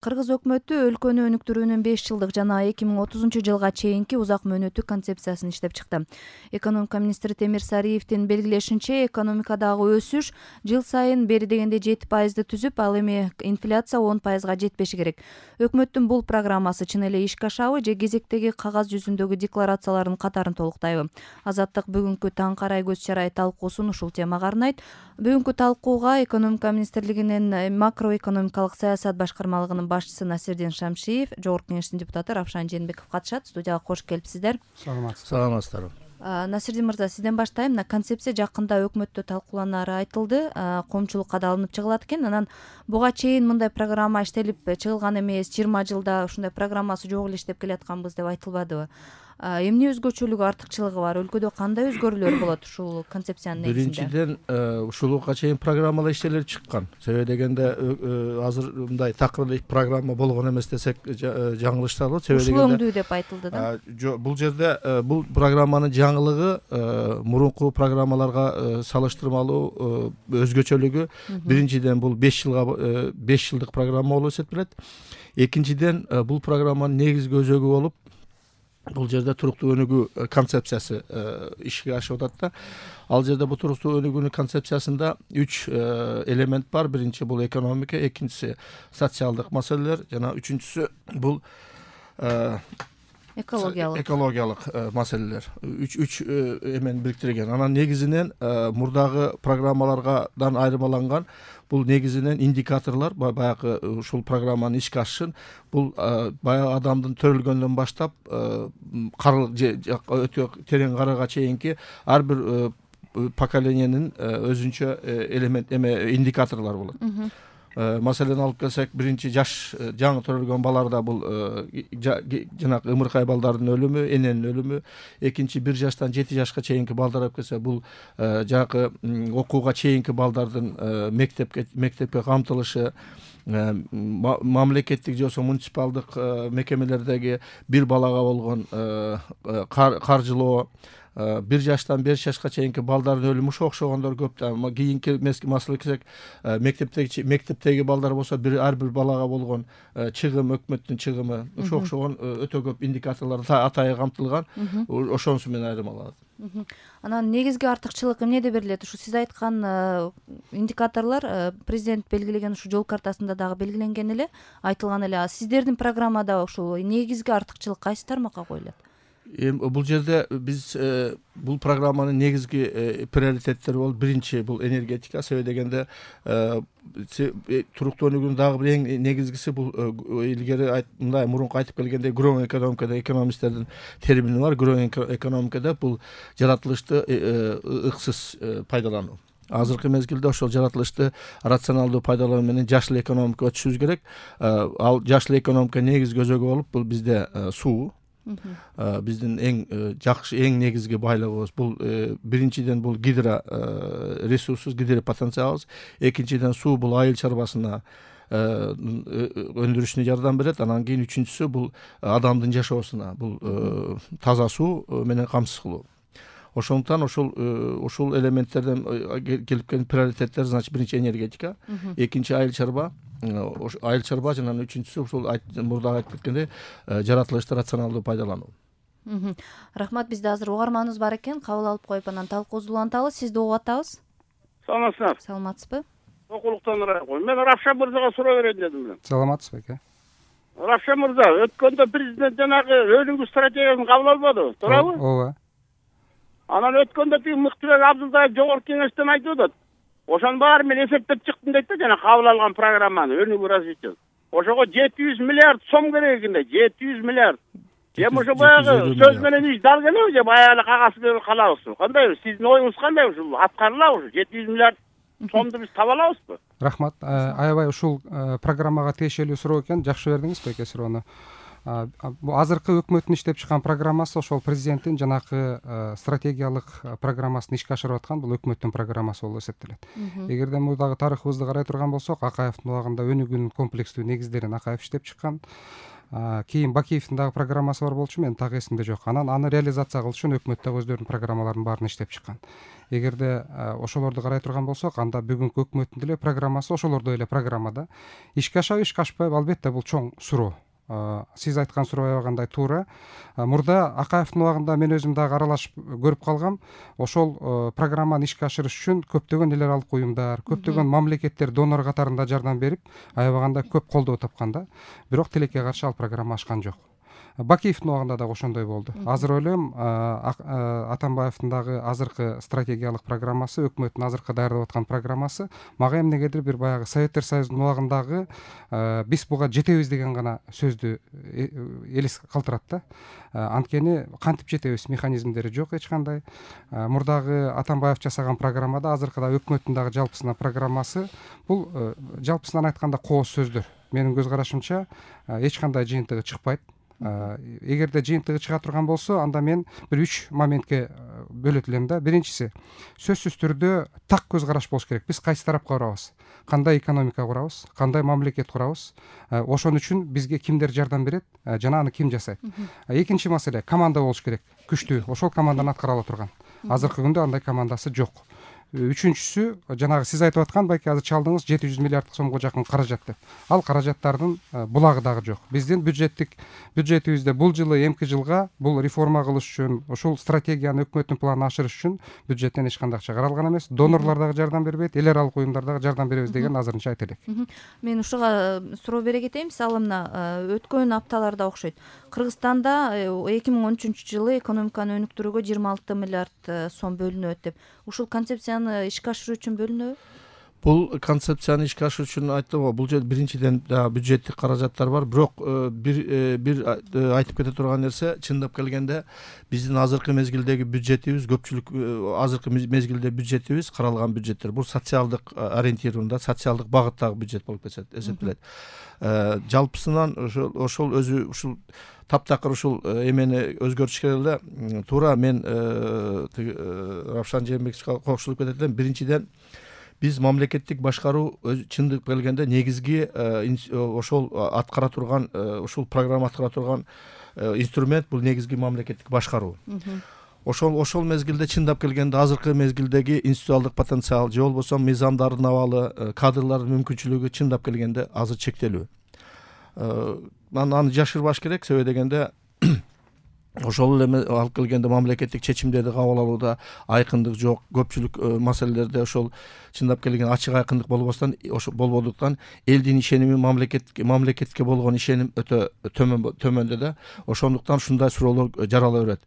Кыргыз өкмөтү өлкөнү өнүктүрүүнүн 5 жылдык жана 2030 жылга чейинки узак мөөнөттүк концепциясын иштеп чыкты. Экономика министри Темир Сариевдин белгилешинче, экономикадагы өсүш жыл сайын бери дегенде 7% түзүп, ал эми инфляция 10%га жетпеши керек. Өкмөттүн бул программасы чын эле ишке ашабы же кезектеги кагаз жүзүндөгү декларациялардын катарын толуктайбы? Азаттык бүгүнкү таң карай көз чарай талкуусун ушул темага арнайт. Бүгүнкү талкууга экономика министрлигинин макроэкономикалык саясат башкармалыгынын башчысы Насирдин Шамшиев, жогорку кеңештин депутаты Равшан Жээнбеков катышат. Студияга кош келипсиздер. Саламатсыздарбы. Насирдин мырза, сизден баштайм. Мына концепция жакында өкмөттө талкууланары айтылды, коомчулукка да алынып чыгылат экен. Анан буга чейин мындай программа иштелип чыгылган эмес, 20 жылда ушундай программасы жок эле иштеп келатканбыз деп айтылбадыбы? Эмне өзгөчөлүгү, артыкчылыгы бар? Өлкөдө кандай өзгөрүүлөр болот ушул концепциянын негизинде? Биринчиден, ушулга чейин программалар иштелип чыккан. Себеби дегенде азыр мындай такыр программа болгон эмес десек жаңылыштар болот. Себеби дегенде ушул деп айтылды да. Бул жерде бул программанын жаңылыгы мурунку программаларга салыштырмалуу өзгөчөлүгү биринчиден бул 5 жылдык программа болуп эсептелет. Экинчиден, бул программанын негизги өзөгү болуп бул жерде туруктуу өнүгүү концепциясы ишке ашып атат да. Ал жерде бул туруктуу өнүгүүнүн концепциясында 3 элемент бар. Биринчи бул экономика, экинчиси социалдык маселелер жана үчүнчүсү бул экологиялык маселелер. Үч эмени бириктирген. Анан негизинен мурдагы программалардан айырмаланган бул негизинен индикаторлор баягы ушул программанын ишке ашышын бул баягы адамдын төрөлгөндөн баштап өтө терең карага чейинки ар бир поколениянын өзүнчө элемент индикаторлор болот. Маселен алып келсек, биринчи жаш жаңы төрөлгөн баларда бул жанагы ымыркай балдардын өлүмү, эненин өлүмү. Экинчи 1 жаштан 7 жашка чейинки балдар алып келсе, бул жанагы окууга чейинки балдардын мектепке камтылышы, мамлекеттик же болбосо муниципалдык мекемелердеги бир балага болгон каржылоо, 1 жаштан 5 жашка чейинки балдардын өлүмү окшогондор көп. Кийинки маселе келсек, мектептеги балдар болсо ар бир балага болгон чыгым, өкмөттүн чыгымы, окшогон өтө көп индикаторлор атайы камтылган. Ошонусу менен айырмаланат. Анан негизги артыкчылык эмнеде берилет? Ушу сиз айткан индикаторлор президент белгилеген ушу жол картасында дагы белгиленген эле, айтылган эле. Сиздердин программада ушул негизги артыкчылык кайсы тармакка коюлат? Бул жерде биз бул программанын негизги приоритеттери болуп, биринчи бул энергетика. Себеби дегенде туруктуу өнүгүүнүн дагы бир эң негизгиси бул илгери мындай мурунку айтып келгендей грeen экономикада экономисттердин термини бар. Грeen экономикада бул жаратылышты ыксыз пайдалануу. Азыркы мезгилде ошол жаратылышты рационалдуу пайдалануу менен жашыл экономикага өтүшүбүз керек. Ал жашыл экономика негизги өзөгү болуп, бул бизде суу. Биздин эң жакшы, эң негизги байлыгыбыз бул биринчиден бул гидро ресурсубуз, гидро потенциалыбыз. Экинчиден суу бул айыл чарбасына өндүрүшүнө жардам берет. Анан кийин үчүнчүсү бул адамдын жашоосуна, бул таза суу менен камсыз кылуу. Ошондуктан ушул элементтерден келип келген приоритеттер, значит, биринчи энергетика, экинчи айыл чарба, жана үчүнчүсү ушул мурда айтып кеткендей жаратылышты рационалдуу пайдалануу. Рахмат, бизде азыр угарманыбыз бар экен, кабыл алып коюп анан талкуубузду улантабыз. Сизди угуп атабыз. Саламатсызбы? Саламатсызбы? Окулуктан ырайкой. Мен Равшан мырзага суроо берейин дедим. Саламатсызбы аке? Равшан мырза, өткөндө президент жанагы өнүгүү стратегиясын кабыл албады, туурабы? Ооба. Анан өткөндө тиги Мыктыбек Абдылдаев жогорку кеңештен айтып атат. Ошонун баары мен эсептеп чыктым дейт да, жана кабыл алган программаны өнүгүү развитие. Ошого 700 миллиард сом керек экен да, 700 миллиард. Ошо баягы сөз менен иш дал келеби же баягы эле кагаз берип калабызбы? Кандай сиздин оюңуз кандай ушул аткарылабы ушу 700 миллиард сомду биз таба алабызбы? Рахмат. Аябай ушул программага тиешелүү суроо экен. Жакшы бердиңизби эке суроону? Бул азыркы өкмөттүн иштеп чыккан программасы ошол президенттин жанакы стратегиялык программасын ишке ашырып аткан бул өкмөттүн программасы болуп эсептелет. Эгерде мурдагы тарыхыбызды карай турган болсок, Акаевдин убагында өнүгүүнүн комплекстүү негиздерин Акаев иштеп чыккан. Кийин Бакиевдин дагы программасы бар болчу, мен так эсимде жок. Анан аны реализация кылыш үчүн өкмөт дагы өздөрүнүн программаларын баарын иштеп чыккан. Эгерде ошолорду карай турган болсок, анда бүгүнкү өкмөттүн деле программасы ошолордой эле программада. Ишке ашабы, ишке ашпайбы, албетте бул чоң суроо. Сиз айткан суроо аябагандай туура. Мурда Акаевдин убагында мен өзүм дагы аралашып көрүп калгам. Ошол программаны ишке ашырыш үчүн көптөгөн эл аралык уюмдар, көптөгөн мамлекеттер донор катарында жардам берип, аябагандай көп колдоо тапкан да. Бирок тилекке каршы ал программа ашкан жок. Бакиевдин убагында дагы ошондой болду. Азыр ойлойм, Атамбаевдин дагы азыркы стратегиялык программасы, өкмөттүн азыркы даярдап аткан программасы мага эмнегедир бир баягы Советтер Союзунун убагындагы биз буга жетебиз деген гана сөздү элес калтырат да. Анткени кантип жетебиз, механизмдери жок эч кандай. Мурдагы Атамбаев жасаган программада, азыркыда өкмөттүн дагы жалпысына программасы бул жалпысынан айтканда кооз сөздөр. Менин көз карашымча эч кандай жыйынтыгы чыкпайт. Эгерде жыйынтыгы чыга турган болсо, анда мен бир 3 моментке бөлөт элем да. Биринчиси, сөзсүз түрдө так көз караш болуш керек. Биз кайсы тарапка барабыз? Кандай экономика курабыз? Кандай мамлекет курабыз? Ошон үчүн бизге кимдер жардам берет жана аны ким жасайт? Экинчи маселе, команда болуш керек. Күчтүү, ошол команданы аткара ала турган. Азыркы күндө андай командасы жок. Үчүнчүсү, жанагы сиз айтып аткан, балки азыр чалдыңыз 700 миллиард сомго жакын каражат деп. Ал каражаттардын булагы дагы жок. Биздин бюджетибизде бул жылы, эмки жылга бул реформа кылыш үчүн, ошол стратегияны, өкмөттүн планын ашырыш үчүн бюджеттен эч кандай акча каралган эмес. Донорлор дагы жардам бербейт, эл аралык уюмдар дагы жардам беребиз деген азырынча айта элек. Мен ушуга суроо бере кетейин. Мисалы мына өткөн апталарда окшойт. Кыргызстанда 2013 жылы экономиканы өнүктүрүүгө 26 миллиард сом бөлүнөт деп. Ушул концепцияны ишке ашыруу үчүн бөлүнөбү? Бул концепцияны ишке ашыруу үчүн айттым го, бул жерде биринчиден бюджеттик каражаттар бар, бирок бир айтып кете турган нерсе, чындап келгенде биздин азыркы мезгилдеги бюджетибиз, көпчүлүк азыркы мезгилде бюджетибиз, каралган бюджеттер бул социалдык ориентированный, социалдык багыттагы бюджет болуп эсептелет. Жалпысынан ошол өзү ушул таптакыр ушул эмени өзгөртүш керек эле. Туура, мен Равшан Жээнбековичке кошулуп кетет элем. Биринчиден, биз мамлекеттик башкаруу чындап келгенде негизги ошол аткара турган, ушул программа аткара турган инструмент бул негизги мамлекеттик башкаруу. Ошол мезгилде чындап келгенде азыркы мезгилдеги институциалдык потенциал же болбосо мыйзамдардын абалы, кадрлардын мүмкүнчүлүгү чындап келгенде азыр чектелүү. Аны жашырбаш керек, себеби дегенде ошол эле алып келгенде мамлекеттик чечимдерди кабыл алууда айкындык жок, көпчүлүк маселелерде ошол чындап келген ачык айкындык болбодуктан элдин ишеними, мамлекетке болгон ишеним өтө төмөндө да. Ошондуктан ушундай суроолор жарала берет.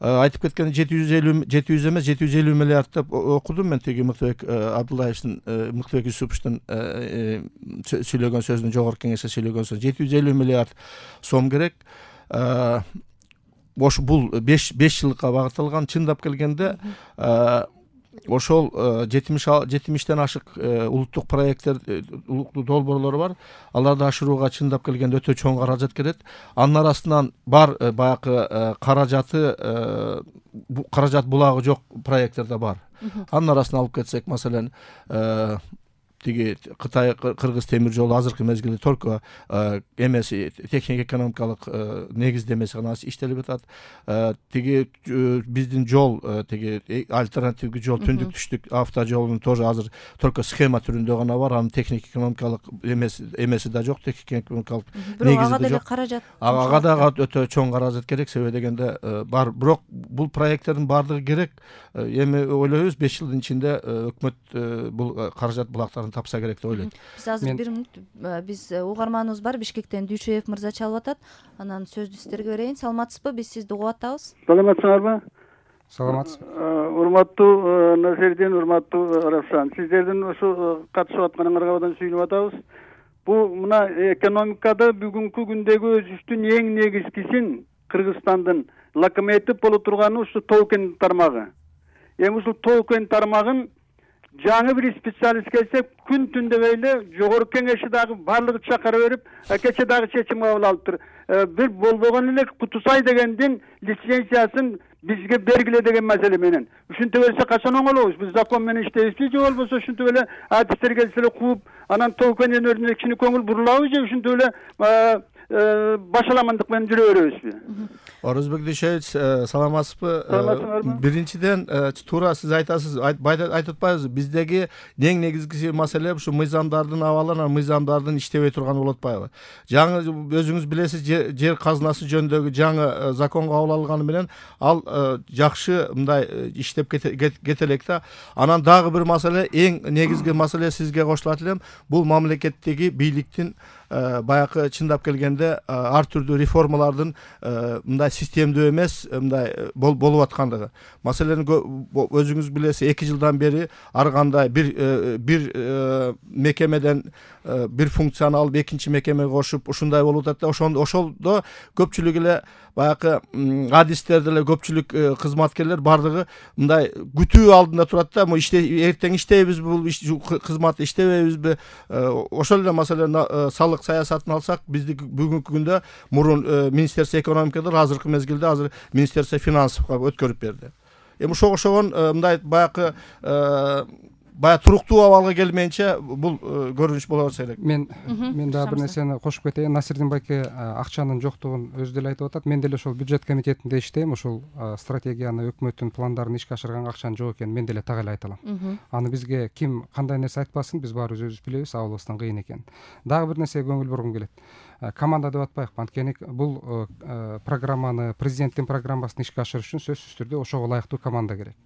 Айтып кеткен 700 эмес 750 миллиард деп окудум мен, тиги Мыктыбек Абдуллаевдин, Мыктыбек Юсуповдун сүйлөгөн сөзүнүн, жогорку кеңеште сөйлөгөн сөз 750 миллиард сом керек. Бул 5 жылга багытталган. Чындап келгенде ошол 70тен ашык улуттук проекттер, улуттук долбоорлор бар. Аларды ашырууга чындап келгенде өтө чоң каражат керек. Анын арасынан бар баягы каражат булагы жок проекттер да бар. Анын арасынан алып кетсек, маселен, тиги Кытай Кыргыз темир жолу азыркы мезгилде только эмеси, техник экономикалык негиздемеси гана иштелип атат. Тиги биздин жол, тиги альтернативдүү жол, түндүк түштүк автожолунун тоже азыр только схема түрүндө гана бар. Анын техник экономикалык эмеси да жок, техник экономикалык негизи да жок. Ага дагы өтө чоң каражат керек, себеби дегенде бар. Бирок бул проекттердин баардыгы керек. Эми ойлойбуз 5 жылдын ичинде өкмөт бул каражат булактарын тапса керек деп ойлойт. Биз азыр бир мүнөт, биз угарманыбыз бар, Бишкектен Дүйшөев мырза чалып атат. Анан сөздү сиздерге берейин. Саламатсызбы? Биз сизди угуп атабыз. Саламатсыңарбы? Саламатсыз. Урматтуу Насердин, урматтуу Равшан, сиздердин ошо катышып атканыңарга абдан сүйүнүп атабыз. Бул мына экономикада бүгүнкү күндөгү өсүштүн эң негизгисин Кыргызстандын локомотив боло турганы ушу тоо-кен тармагы. Эми ушул тоо-кен тармагын жаңы бир специалист келсе, күн түн дебей эле жогорку кеңеши дагы баардыгы чакыра берип, кече дагы чечим кабыл алыптыр. Бир болбогон эле Кутусай дегендин лицензиясын бизге бергиле деген маселе менен. Ушинтип эле качан оңолобуз? Биз закон менен иштейбизби же болбосо ушинтип эле адистер келсе эле кууп, анан тоо-кен өнөрүнө кичине көңүл бурулабы же ушинтип эле башаламандык менен жүрө беребизби? Орозбек Дүйшевич, саламатсызбы? Саламатсыңарбы? Биринчиден, туура сиз айтасыз, айтып атпайбызбы? Биздеги эң негизги маселе ушу мыйзамдардын абалы, анан мыйзамдардын иштебей турганы болуп атпайбы? Жаңы өзүңүз билесиз, жер казынасы жөнүндөгү жаңы закон кабыл алынганы менен ал жакшы мындай иштеп кете элек да. Анан дагы бир маселе, эң негизги маселе сизге кошулат элем, бул мамлекеттеги бийликтин баягы чындап келгенде ар түрдүү реформалардын мындай системдүү эмес мындай болуп аткандыгы. Маселени өзүңүз билесиз, 2 жылдан бери ар кандай бир мекемеден бир функцияны алып экинчи мекемеге кошуп ушундай болуп атат да. Ошолдо көпчүлүк эле баягы адистер деле, көпчүлүк кызматкерлер бардыгы мындай күтүү алдында турат да. Эртең иштейбизби, бул кызматты иштебейбизби? Ошол эле маселени салык саясатын алсак, бизди бүгүнкү күндө мурун Министерство экономикада, азыркы мезгилде азыр Министерство финансовго өткөрүп берди. Эми ошогон мындай баягы туруктуу абалга келмейинче бул көрүнүш боло берсе элек. Мен дагы бир нерсени кошуп кетейин. Насирдин байке акчанын жоктугун өзү деле айтып атат. Мен деле ошол бюджет комитетинде иштейм. Ошол стратегияны, өкмөттүн пландарын ишке ашырганга акчанын жок экенин мен деле так эле айта алам. Аны бизге ким кандай нерсе айтпасын, биз баарыбыз өзүбүз билебиз, абалыбыздан кыйын экенин. Дагы бир нерсеге көңүл бургум келет. Команда деп атпайыкпы, анткени бул программаны, президенттин программасын ишке ашырыш үчүн сөзсүз түрдө ошого ылайыктуу команда керек.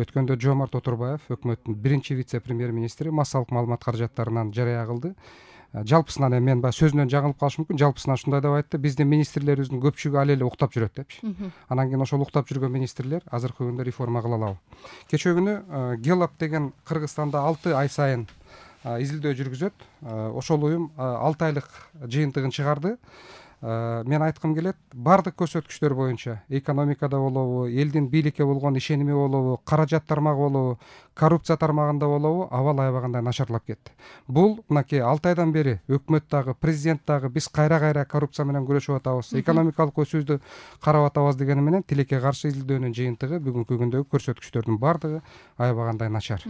Өткөндө Жомарт Отурбаев, өкмөттүн биринчи вице-премьер-министри, массалык маалымат каражаттарынан жарыя кылды. Жалпысынан мен баягы сөзүнөн жаңылып калыш мүмкүн, жалпысынан ушундай деп айтты: биздин министрлерибиздин көпчүлүгү али эле уктап жүрөт депчи. Анан кийин ошол уктап жүргөн министрлер азыркы күндө реформа кыла алабы? Кечээ күнү Гелап деген Кыргызстанда 6 ай сайын изилдөө жүргүзөт. Ошол уюм 6 айлык жыйынтыгын чыгарды. Мен айткым келет, бардык көрсөткүчтөр боюнча экономикада болобу, элдин бийликке болгон ишеними болобу, каражат тармагы болобу, коррупция тармагында болобу, абал аябагандай начарлап кетти. Бул мынакей 6 айдан бери өкмөт дагы, президент дагы биз кайра коррупция менен күрөшүп атабыз, экономикалык өсүүдү карап атабыз дегени менен тилекке каршы изилдөөнүн жыйынтыгы бүгүнкү күндөгү көрсөткүчтөрдүн бардыгы аябагандай начар.